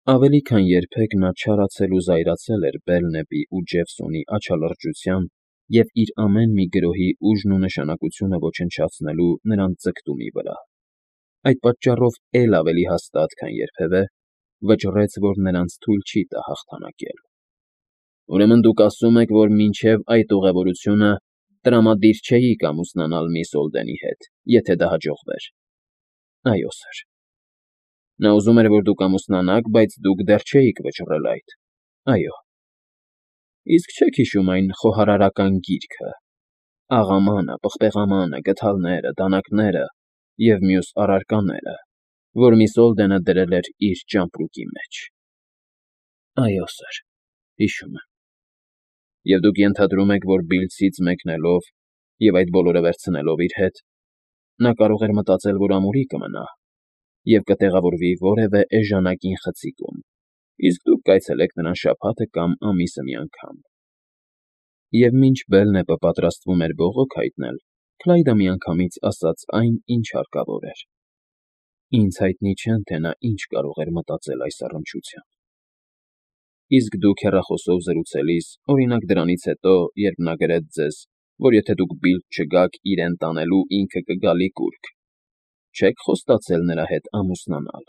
Ավելի քան երբեք նա չարացել ու զայրացել էր Բելնեպի ու Ջեֆսոնի աչալրջության և իր ամեն մի գրոհի ուժն ու նշանակությունը ոչնչացնելու նրանց ձգտումի վրա։ Այդ պատճառով էլ ավելի հաստատ, քան երբևէ, վճռեց, որ նրանց թույլ չի տա հաղթանակել։ Ուրեմն դուք ասում եք, որ մինչև այդ ուղևորությունը տրամադիր չէիք ամուսնանալ միս Օլդենի հետ, եթե դա հաջողվեր։ Այո, սըր։ Նա ուզում էր, որ դուք ամուսնանաք, բայց դուք դեռ չէիք վճռել այդ։ Այո։ Իսկ չեք հիշում այն խոհարարական գիրքը. աղամանը, պղպեղամանը, գդալները, դանակները և մյուս առարկաները, որ միս Օլդենը դրել էր իր ճամպրուկի մեջ։ Այո, սըր, հիշում եմ։ Եվ դուք ենթադրում եք, որ Բիլլսից մեկնելով և այդ բոլորը վերցնելով իր հետ, նա կարող էր մտածել, որ ամուրի կմնա և կտեղավորվի որևէ էժանագին խցիկում, իսկ դուք կայցելեք նրան շաբաթը կամ ամիսը մի անգամ։ Եվ մինչ Բելնեպը պատրաստվում էր բողոք հայտնել, Քլայդը միանգամից ասաց այն, ինչ հարկավոր էր։ Ինձ հայտնի չէ, թե նա ինչ կարող էր մտածել այս առնչությամբ։ Իսկ դուք հեռախոսով զրուցելիս, օրինակ դրանից հետո, երբ նա գրեց ձեզ, որ եթե դուք Բիլլ չգաք իրեն տանելու, ինքը կգա լիկուռք, չե՞ք խոստացել նրա հետ ամուսնանալ։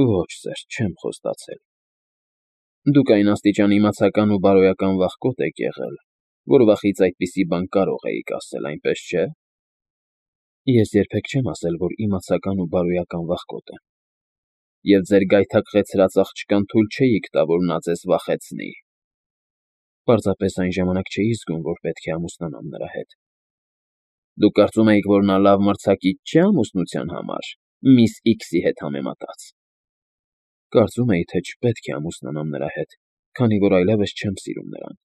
Ոչ, սըր, չեմ խոստացել։ Դուք այն աստիճան իմացական ու բարոյական վախկոտ եք եղել, որ վախից այդպիսի բան կարող էիք ասել, այնպես չէ։ Ես երբեք չեմ ասել, որ իմացական ու բարոյական վախկոտ եմ։ Եվ ձեր գայթակղեցրած աղջկան թույլ չէիք տա, որ նա ձեզ վախեցնի։ Պարզապես այն ժամանակ չէի զգում, որ պետք է ամուսնանամ նրա հետ։ Դուք կարծում էիք, որ նա լավ մրցակից չէ ամուսնության համար, միս X-ի հետ համեմատած։ Կարծում էի, թե չպետք է ամուսնանամ նրա հետ, քանի որ այլևս չեմ սիրում նրան։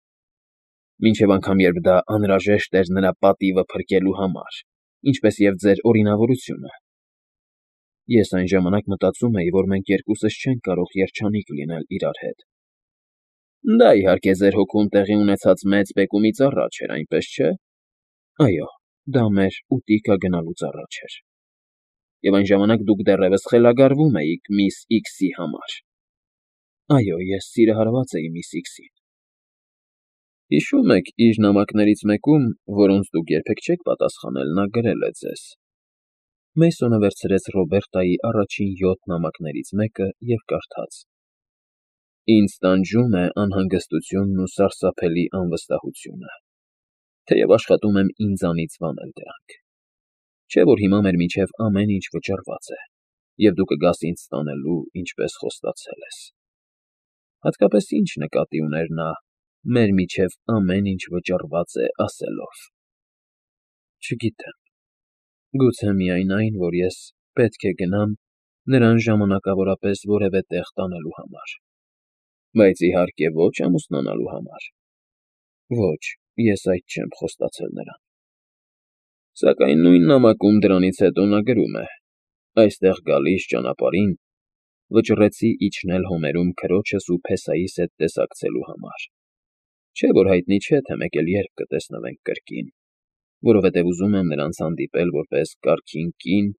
Մինչև անգամ երբ դա անհրաժեշտ էր նրա պատիվը փրկելու համար, ինչպես և ձեր օրինավորությունը։ Ես այն ժամանակ մտածում էի, որ մենք երկուսս չենք կարող երջանիկ լինել իրար հետ։ Դա, իհարկե, ձեր հոգում տեղի ունեցած մեծ բեկումից առաջ էր, այնպես չէ։ Այո, դա մեր ուտիկա գնալուց առաջ էր։ Եվ այն ժամանակ դուք դեռևս խելագարվում էիք միս X-ի համար։ Այո, ես սիրահարված էի միս X-ին։ Հիշում եք, իր նամակներից մեկում, որոնց դուք երբեք չեք պատասխանել, նա գրել է ձեզ։ Մեյսոնը վերցրեց Ռոբերտայի առաջին 7 նամակներից մեկը և կարդաց. Ինձ տանջում է անհանգստությունն ու սարսափելի անվստահությունը, թեև աշխատում եմ ինձանից վանել դրանք։ Չէ՞ որ հիմա մեր միջև ամեն ինչ վճռված է, և դու կգաս ինձ տանելու, ինչպես խոստացել ես։ Հատկապես ինչ նկատի ուներ նա մեր միջև ամեն ինչ վճռված է ասելով։ Չգիտեմ։ Գուցե միայն այն, որ ես պետք է գնամ նրան ժամանակավորապես որևէ տեղ տանելու համար։ Բայց իհարկե ոչ ամուսնանալու համար։ Ոչ, ես այդ չեմ խոստացել նրան։ Սակայն նույն նամակում դրանից հետո նա գրում է. այստեղ գալիս ճանապարհին վճռեցի իջնել հոմերում քրոջս ու Փեսայիս հետ տեսակցելու համար։ Չէ՞ որ հայտնի չէ, թե մեկ էլ երբ կտեսնվենք կրկին, որովհետև ուզում եմ նրանց հանդիպել որպես կարգին կին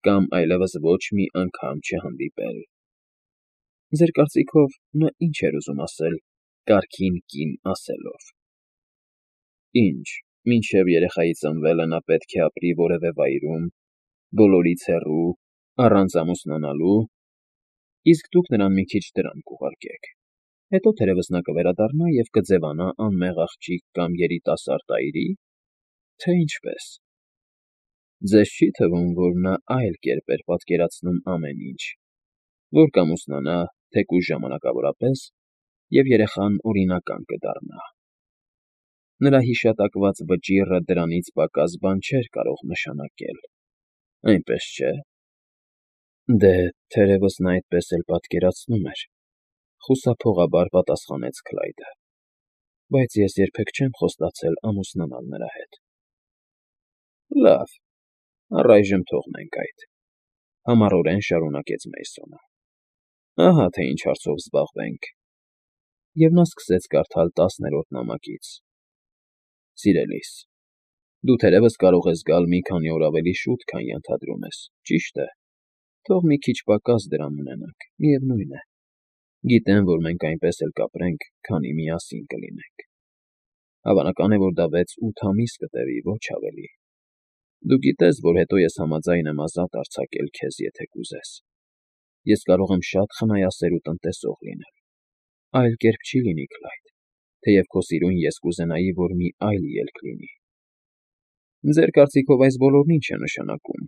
կամ այլևս ոչ մի անգամ չհանդիպել։ Ձեր կարծիքով նա ինչ էր ուզում ասել կարգին կին ասելով։ Ինչ, մինչև երեխայի ծնվելը նա պետք է ապրի որևէ վայրում, բոլորից հեռու, առանց ամուսնանալու, իսկ դուք նրան մի քիչ դրամ կուղարկեք։ Հետո թերևս նա կվերադառնա և կձևանա անմեղ աղջիկ կամ երիտասարդ այրի, թե ինչպես։ Ձեզ չի՞ թվում, որ նա այլ կերպ էր պատկերացնում ամեն ինչ, որ կամուսնանա, թեկուզ ժամանակավորապես, և երեխան օրինական կդառնա։ Նրա հիշատակված վճիռը դրանից պակաս բան չէր կարող նշանակել, այնպես չէ։ Դե, թերևս նա այդպես էլ պատկերացնում էր, խուսափողաբար պատասխանեց Քլայդը, բայց ես երբեք չեմ խոստացել ամուսնանալ նրա հետ։ Լավ, առայժմ թողնենք այդ, համառորեն շարունակեց Մեյսոնը։ Ահա թե ինչ հարցով զբաղվենք։ Եվ նա սկսեց կարդալ 10-րդ նամակից. Սիրելիս, դու թերևս կարող ես գալ մի քանի օր ավելի շուտ, քան ենթադրում ես, ճիշտ է։ Թող մի քիչ պակաս դրամ ունենանք, միևնույն է։ Գիտեմ, որ մենք այնպես էլ կապրենք, քանի միասին կլինենք։ Հավանական է, որ դա 6-8 ամիս կտևի, ոչ ավելի։ Դու գիտես, որ հետո ես համաձայն եմ ազատ արձակել քեզ, եթե կուզես։ Ես կարող եմ շատ խնայասեր ու տնտեսող լինել։ Այլ կերպ չի լինի, Քլայդ, թեև քո սիրուն ես կուզենայի, որ մի այլ ելք լինի։ Ձեր կարծիքով այս բոլորն ինչ է նշանակում։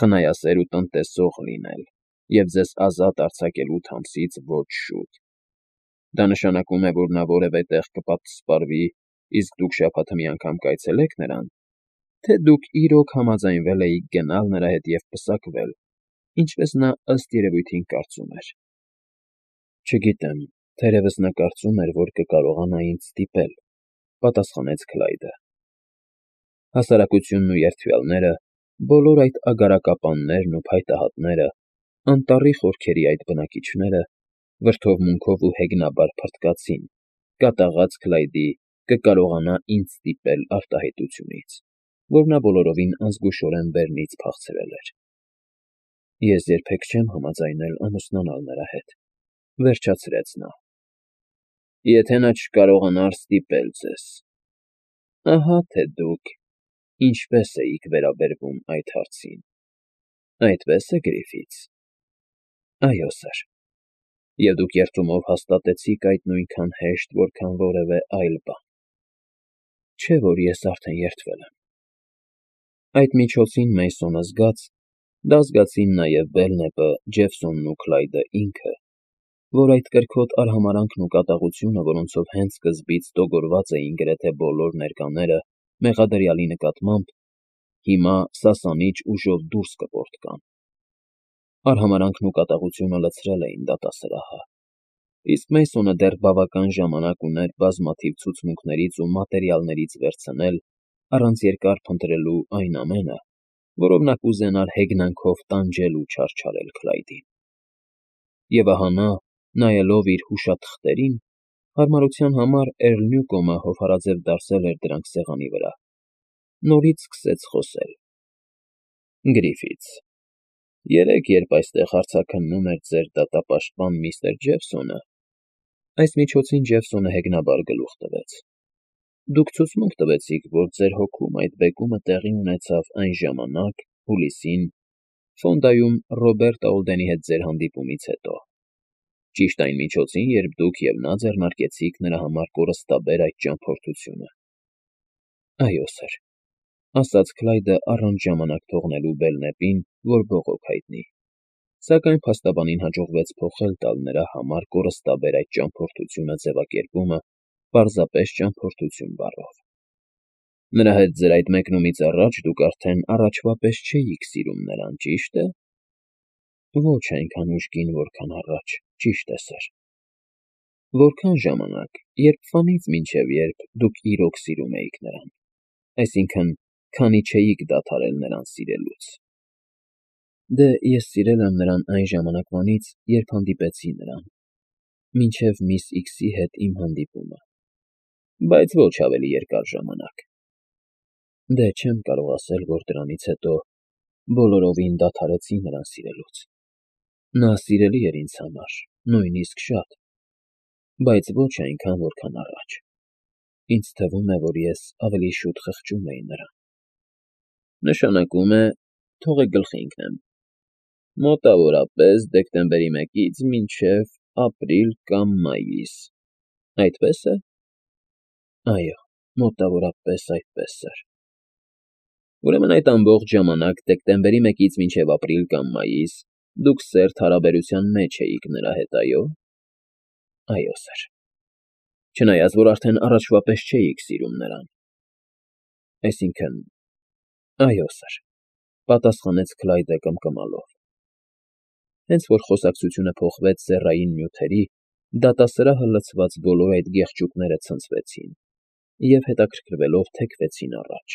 Խնայասեր ու տնտեսող լինել և ձեզ ազատ արձակել 8 ամսից ոչ շուտ։ Դա նշանակում է, որ նա որևէ տեղ կպատսպարվի, իսկ դուք շաբաթը մի անգամ կայցելեք նրան, թե դուք իրոք համաձայնվել էիք գնալ նրա հետ և պսակվել, ինչպես նա ըստ երևույթին կարծում էր։ Չգիտեմ, թերևս նա կարծում էր, որ կկարողանա ինձ ստիպել, պատասխանեց Քլայդը։ Հասարակությունն ու երդվյալները, բոլոր այդ ագարակապաններն ու փայտահատները, անտառի խորքերի այդ բնակիչները վրդովմունքով ու հեգնաբար փռթկացին, կատաղած Քլայդի կկարողանա ինձ ստիպել արտահայտությունից, որ նա բոլորովին ազգուշորեն բեռնից փախցրել էր։ Ես երբեք չեմ համաձայնել ամուսնանալ նրա հետ, վերջացրեց նա։ Եթե նա չկարողանար ստիպել ձեզ, ահա թե դուք ինչպես էիք վերաբերվում այդ հարցին։ Այդպես է, Գրիֆիթս։ Այո, սըր։ Եվ դուք երդումով հաստատեցիք այդ նույնքան հեշտ, որքան որևէ այլ բան։ Չէ՞ որ ես արդեն երդվել եմ։ Այդ միջոցին Մեյսոնը զգաց, դա զգացին նաև Բելնեպը, Ջեֆսոնն ու Քլայդը ինքը, որ այդ կրքոտ արհամարհանքն ու կատաղությունը, որոնցով հենց սկզբից տոգորված էին գրեթե բոլոր ներկաները մեղադրյալի նկատմամբ, հիմա սասանիչ ուժով դուրս կպոռթկան։ Արհամարհանքն ու կատաղությունը լցրել էին դատասրահը, իսկ Մեյսոնը դեռ բավական ժամանակ ուներ բազմաթիվ ցուցմունքներից ու մատերիալներից վերցնել, առանց երկար փնտրելու այն ամենը, որով նա կուզենար հեգնանքով տանջել ու չարչարել Քլայդին։ Եվ ահա նա, նայելով իր հուշաթղթերին, հարմարության համար Էրլնյուկոմը հովհարաձև դարսել էր դրանք սեղանի վրա, նորից սկսեց խոսել. Գրիֆիթս, երեկ, երբ այստեղ հարցաքննում էր ձեր դատապաշտպան միստր Ջեֆսոնը, այս միջոցին Ջեֆսոնը հեգնաբար գլուխ տվեց. Դուք ցուցմունք տվեցիք, որ ձեր հոգում այդ բեկումը տեղի ունեցավ այն ժամանակ, հուլիսին, Ֆոնդայում Ռոբերտ Աուլդենի հետ ձեր հանդիպումից հետո։ Ճիշտ այն միջոցին, երբ դուք և նա ձեռնարկեցիք նրա համար կորստաբեր այդ ճամփորդությունը։ Այո, սըր, ասաց Քլայդը առանց ժամանակ թողնելու Բելնեպին, որ բողոք հայտնի, սակայն փաստաբանին հաջողվեց փոխել տալ նրա համար կորստաբեր այդ ճամփորդությունը ձևակերպումը պարզապես ճամփորդություն բառով։ Նրա հետ ձեր այդ մեկնումից առաջ դուք արդեն առաջվա պես չէիք սիրում նրան, ճի՞շտ է։ Ոչ այնքան ուժգին, որքան առաջ, ճիշտ է, սըր։ Որքան ժամանակ, երբվանից մինչև երբ դուք իրոք սիրում էիք նրան, այսինքն, քանի չէիք դադարել նրան սիրելուց։ Դե, ես սիրել եմ նրան այն ժամանակվանից, երբ հանդիպեցի նրան, մինչև միս Իքսի հետ իմ հանդիպումը, բայց ոչ ավելի երկար ժամանակ։ Դե, չեմ կարող ասել, որ դրանից հետո բոլորովին դադարեցի նրան սիրելուց։ Նա սիրելի էր ինձ համար, նույնիսկ շատ, բայց ոչ այնքան, որքան առաջ։ Ինձ թվում է, որ ես ավելի շուտ խղճում էի նրան։ Նշանակում է, թողեք գլխի ընկնեմ, մոտավորապես դեկտեմբերի 1-ից մինչև ապրիլ կամ մայիս, այդպե՞ս է։ Այո, մոտավորապես այդպես, սըր։ Ուրեմն այդ ամբողջ ժամանակ, դեկտեմբերի 1-ից մինչև ապրիլ կամ մայիս, դուք սերտ հարաբերության մեջ էիք նրա հետ, այո։ Այո, սըր։ Չնայած, որ արդեն առաջվա պես չէիք սիրում նրան։ Այսինքն, այո, սըր, պատասխանեց Քլայդը կմկմալով։ Հենց որ խոսակցությունը փոխվեց սեռային նյութերի, դատասրահը լցված բոլոր այդ գեղջուկները ցնցվեցին և հետաքրքրվելով թեքվեցին առաջ։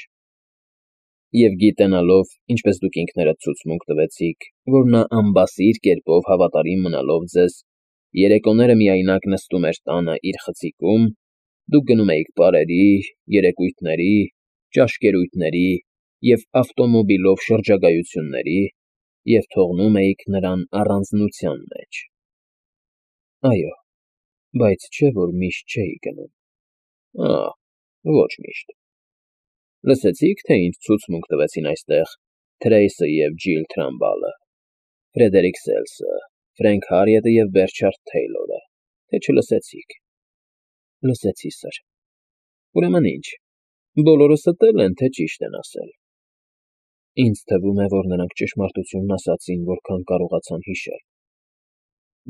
Եվ գիտենալով, ինչպես դուք ինքներդ ցուցմունք տվեցիք, որ նա անբասիր կերպով հավատարիմ մնալով ձեզ, երեկոները միայնակ նստում էր տանը իր խցիկում, դուք գնում էիք պարերի, երեկույթների, ճաշկերույթների և ավտոմոբիլով շրջագայությունների, և թողնում էիք նրան առանձնության մեջ։ Այո, բայց չէ՞ որ միշտ չէի գնում։ Ոչ միշտ։ Լսեցի՞ք, թե ինչ ցուցմունք տվեցին այստեղ Թրեյսը և Ջիլ Թրամբալը, Ֆրեդերիկ Սելսը, Ֆրենք Հարիետը և Բերչարդ Թեյլորը, թե չլսեցիք։ Լսեցի, սըր։ Ուրեմն ինչ, բոլորը ստել են, թե ճիշտ են ասել։ Ինձ թվում է, որ նրանք ճշմարտությունն ասացին, որքան կարողացան հիշել։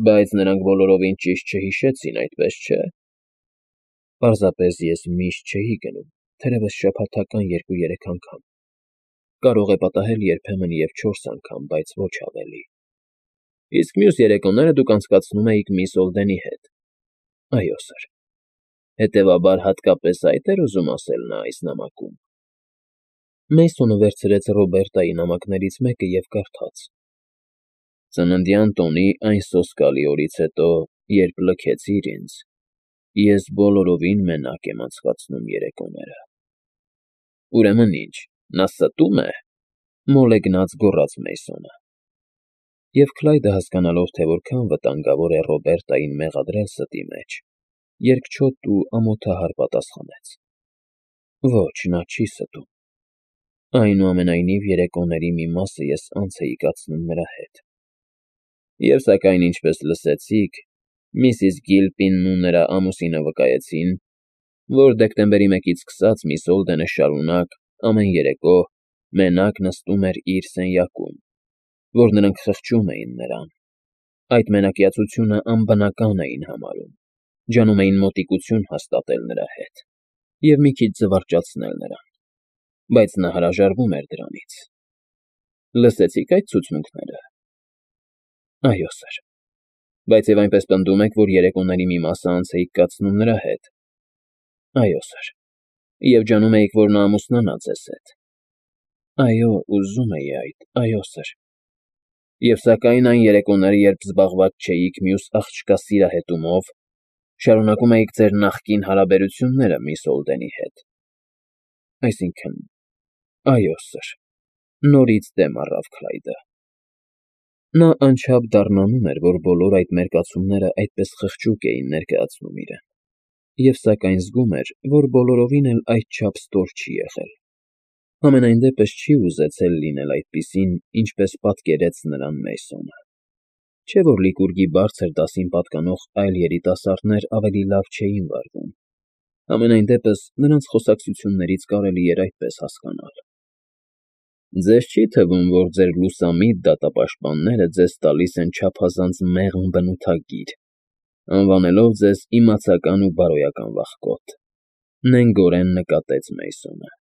Բայց նրանք բոլորովին ճիշտ չհիշեցին, այդպես չէ։ Պարզապես ես միշտ չէի գնում, թերևս շաբաթական 2-3 անգամ։ Կարող է պատահել երբեմն և 4 անգամ, բայց ոչ ավելի։ Իսկ մյուս երեկոները դուք անցկացնում էիք միս Օլդենի հետ։ Այո, սըր։ Հետևաբար հատկապես այդ էր ուզում ասել նա այս նամակում։ Մեյսոնը վերցրեց Ռոբերտայի նամակներից մեկը և կարդաց. Ծննդյան տոնի այն սոսկալի օրից հետո, երբ լքեցիր ինձ, ես բոլորովին մենակ եմ անցկացնում երեկոները։ Ուրեմն ինչ, նա ստո՞ւմ է, մոլեգնած գոռաց Մեյսոնը։ Եվ Քլայդը հասկանալով, թե որքան վտանգավոր է Ռոբերտային մեղադրել ստի մեջ, երկչոտ ու ամոթահար պատասխանեց. Ոչ, նա չի ստում։ Այնուամենայնիվ երեկոների մի մասը ես անց էի կացնում նրա հետ։ Եվ սակայն, ինչպես լսեցիք, Միսիս Գիլպինն ու նրա ամուսինը վկայեցին, որ դեկտեմբերի 1-ից սկսած միս Օլդենը շարունակ ամեն երեկո մենակ նստում էր իր սենյակում, որ նրանք խղճում էին նրան, այդ մենակյացությունը անբնական էին համարում, ջանում էին մոտիկություն հաստատել նրա հետ և մի քիչ զվարճացնել նրան, բայց նա հրաժարվում էր դրանից։ Լսեցի՞ք այդ ցուցմունքները։ Այո, սըր։ Բայց և այնպես պնդում եք, որ երեկոների մի մասը անց էիք կացնում նրա հետ։ Այո, սըր։ Եվ ջանում էիք, որ նա ամուսնանա ձեզ հետ։ Այո, ուզում էի այդ, այո, սըր։ Եվ սակայն այն երեկոները, երբ զբաղված չէիք մյուս աղջկա սիրահետումով, շարունակում էիք ձեր նախկին հարաբերությունները միս Օլդենի հետ։ Այսինքն, այո, սըր, նորից դեմ առավ Քլայդը։ Նա անչափ դառնանում էր, որ բոլոր այդ մերկացումները այդպես խղճուկ էին ներկայացնում իրեն, և սակայն զգում էր, որ բոլորովին էլ այդչափ ստոր չի եղել։ Համենայն դեպս չի ուզեցել լինել այդպիսին, ինչպես պատկերեց նրան Մեյսոնը։ Չէ՞ որ Լիկուրգի բարձր դասին պատկանող այլ երիտասարդներ ավելի լավ չէին վարվում։ Համենայն դեպս նրանց խոսակցություններից կարելի էր այդպես հասկանալ։ Ձեզ չի թվում, որ ձեր լուսամիտ դատապաշտպանները ձեզ տալիս են չափազանց մեղմ բնութագիր, անվանելով ձեզ իմացական ու բարոյական վախկոտ, նենգորեն նկատեց Մեյսոնը։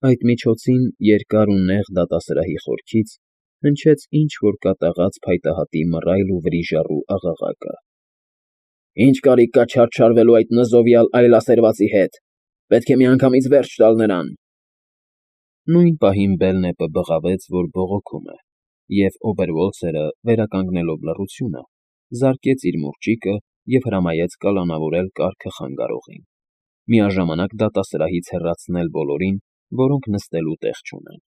Այդ միջոցին երկար ու նեղ դատասրահի խորքից հնչեց ինչ֊որ կատաղած փայտահատի մռայլ ու վրիժառու աղաղակը։ Ինչ կարիք կա չարչարվելու այդ նզովյալ այլասերվածի հետ, պետք է միանգամից վերջ տալ նրան։ Նույն պահին Բելնեպը բղավեց, որ բողոքում է, և Օբերվոլցերը, վերականգնելով լռությունը, զարկեց իր մուրճիկը և հրամայեց կալանավորել կառքը խանգարողին, միաժամանակ դատասրահից հեռացնել բոլորին, որոնք նստելու տեղ չունեն։